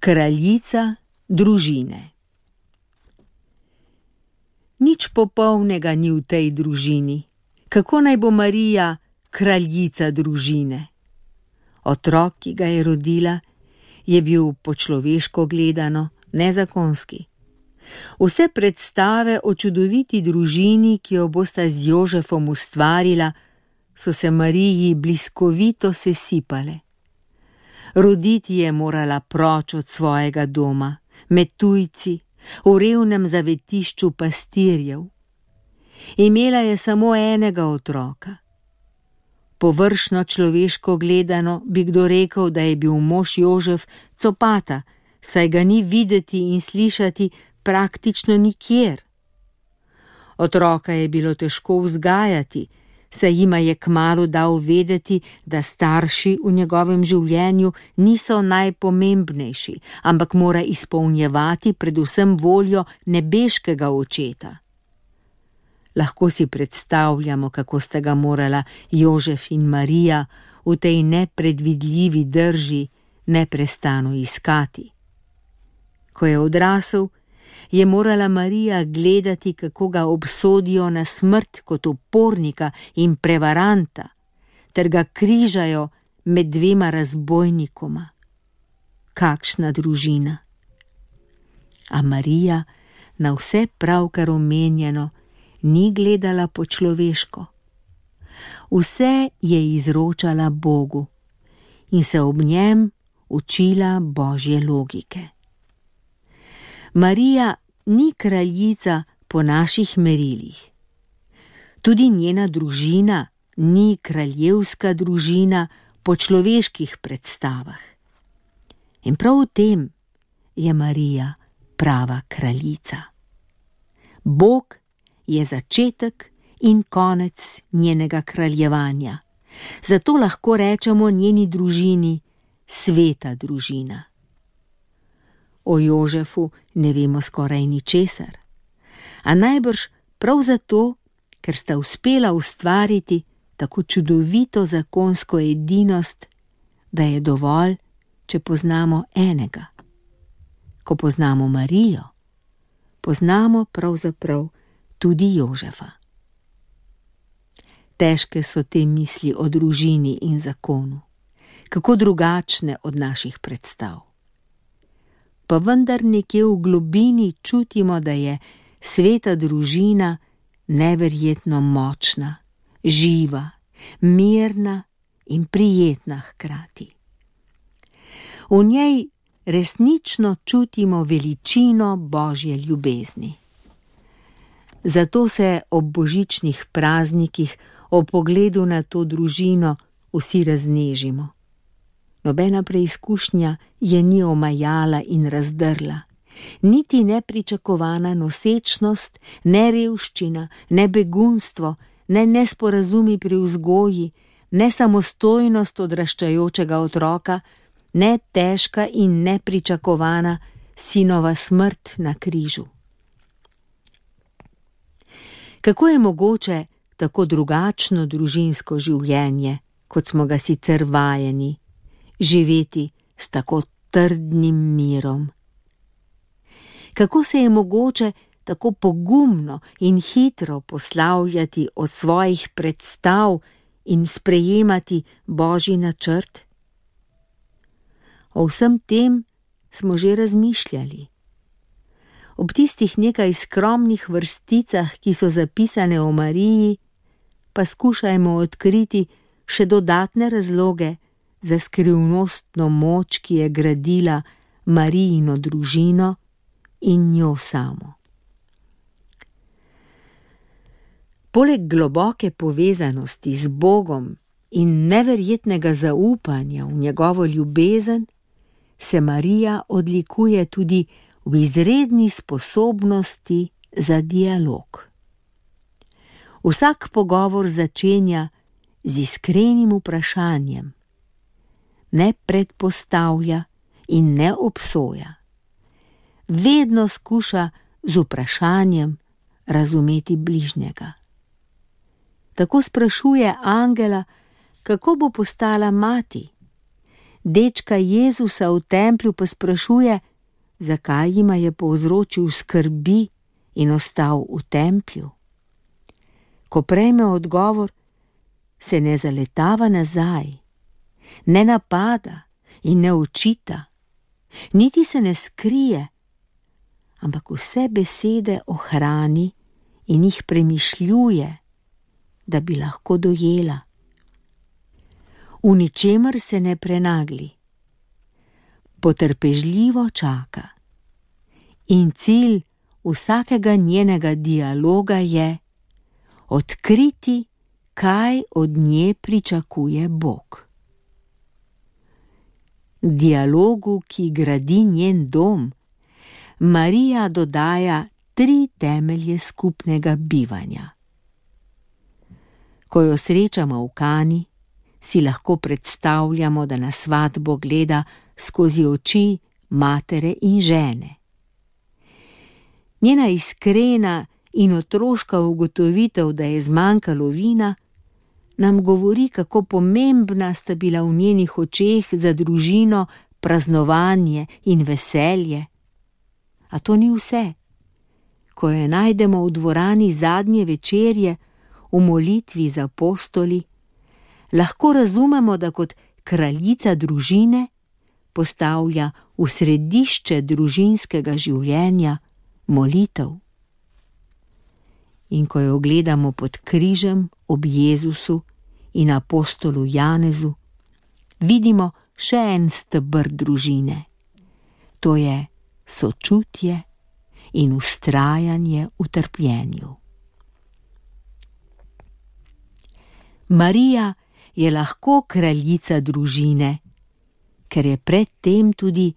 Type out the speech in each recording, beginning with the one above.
Kraljica družine. Nič popolnega ni v tej družini. Kako naj bo Marija kraljica družine? Otrok, ki ga je rodila, je bil po človeško gledano nezakonski. Vse predstave o čudoviti družini, ki jo bosta z Jožefom ustvarila, so se Mariji bliskovito sesipale. Roditi je morala proč od svojega doma, med tujci, v revnem zavetišču pastirjev. Imela je samo enega otroka. Površno človeško gledano bi kdo rekel, da je bil mož Jožef copata, saj ga ni videti in slišati praktično nikjer. Otroka je bilo težko vzgajati, saj jima je kmalu dal vedeti, da starši v njegovem življenju niso najpomembnejši, ampak mora izpolnjevati predvsem voljo nebeškega očeta. Lahko si predstavljamo, kako sta ga morala Jožef in Marija v tej nepredvidljivi drži neprestano iskati. Ko je odrasel, je morala Marija gledati, kako ga obsodijo na smrt kot upornika in prevaranta, ter ga križajo med dvema razbojnikoma. Kakšna družina! A Marija na vse pravkar omenjeno ni gledala po človeško. Vse je izročala Bogu in se ob njem učila Božje logike. Marija ni kraljica po naših merilih. Tudi njena družina ni kraljevska družina po človeških predstavah. In prav v tem je Marija prava kraljica. Bog je začetek in konec njenega kraljevanja. Zato lahko rečemo njeni družini sveta družina. O Jožefu ne vemo skoraj ničesar, a najbrž prav zato, ker sta uspela ustvariti tako čudovito zakonsko edinost, da je dovolj, če poznamo enega. Ko poznamo Marijo, poznamo pravzaprav tudi Jožefa. Težke so te misli o družini in zakonu, kako drugačne od naših predstav. Pa vendar nekje v globini čutimo, da je sveta družina neverjetno močna, živa, mirna in prijetna hkrati. V njej resnično čutimo veličino Božje ljubezni. Zato se ob božičnih praznikih ob pogledu na to družino vsi raznežimo. Nobena preizkušnja je ni omajala in razdrla, niti nepričakovana nosečnost, ne revščina, ne begunstvo, ne nesporazumi pri vzgoji, ne samostojnost odraščajočega otroka, ne težka in nepričakovana sinova smrt na križu. Kako je mogoče tako drugačno družinsko življenje, kot smo ga sicer vajeni, živeti s tako trdnim mirom? Kako se je mogoče tako pogumno in hitro poslavljati od svojih predstav in sprejemati Božji načrt? O vsem tem smo že razmišljali. Ob tistih nekaj skromnih vrsticah, ki so zapisane o Mariji, pa skušajmo odkriti še dodatne razloge za skrivnostno moč, ki je gradila Marijino družino in njo samo. Poleg globoke povezanosti z Bogom in neverjetnega zaupanja v njegovo ljubezen, se Marija odlikuje tudi v izredni sposobnosti za dialog. Vsak pogovor začenja z iskrenim vprašanjem, ne predpostavlja in ne obsoja. Vedno skuša z vprašanjem razumeti bližnjega. Tako sprašuje angela, kako bo postala mati. Dečka Jezusa v templju pa sprašuje, zakaj jima je povzročil skrbi in ostal v templju. Ko prejme odgovor, se ne zaletava nazaj, ne napada in ne očita, niti se ne skrije, ampak vse besede ohrani in jih premišljuje, da bi lahko dojela. V ničemer se ne prenagli, potrpežljivo čaka in cilj vsakega njenega dialoga je odkriti, kaj od nje pričakuje Bog. Dialogu, ki gradi njen dom, Marija dodaja 3 temelje skupnega bivanja. Ko jo srečamo v Kani, si lahko predstavljamo, da na svatbo gleda skozi oči matere in žene. Njena iskrena in otroška ugotovitev, da je zmanjkalo vina, nam govori, kako pomembna sta bila v njenih očeh za družino praznovanje in veselje. A to ni vse. Ko jo najdemo v dvorani zadnje večerje, v molitvi z apostoli, lahko razumemo, da kot kraljica družine postavlja v središče družinskega življenja molitev. In ko jo gledamo pod križem ob Jezusu in apostolu Janezu, vidimo še en steber družine. To je sočutje in vztrajanje v trpljenju. Marija je lahko kraljica družine, ker je predtem tudi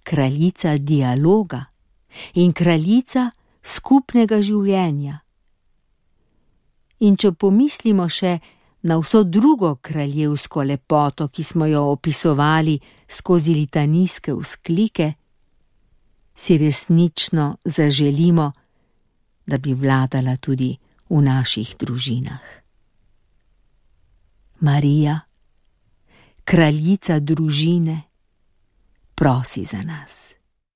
kraljica dialoga in kraljica skupnega življenja. In če pomislimo še na vso drugo kraljevsko lepoto, ki smo jo opisovali skozi litanijske vzklike, si resnično zaželimo, da bi vladala tudi v naših družinah. Marija, kraljica družine, prosi za nas.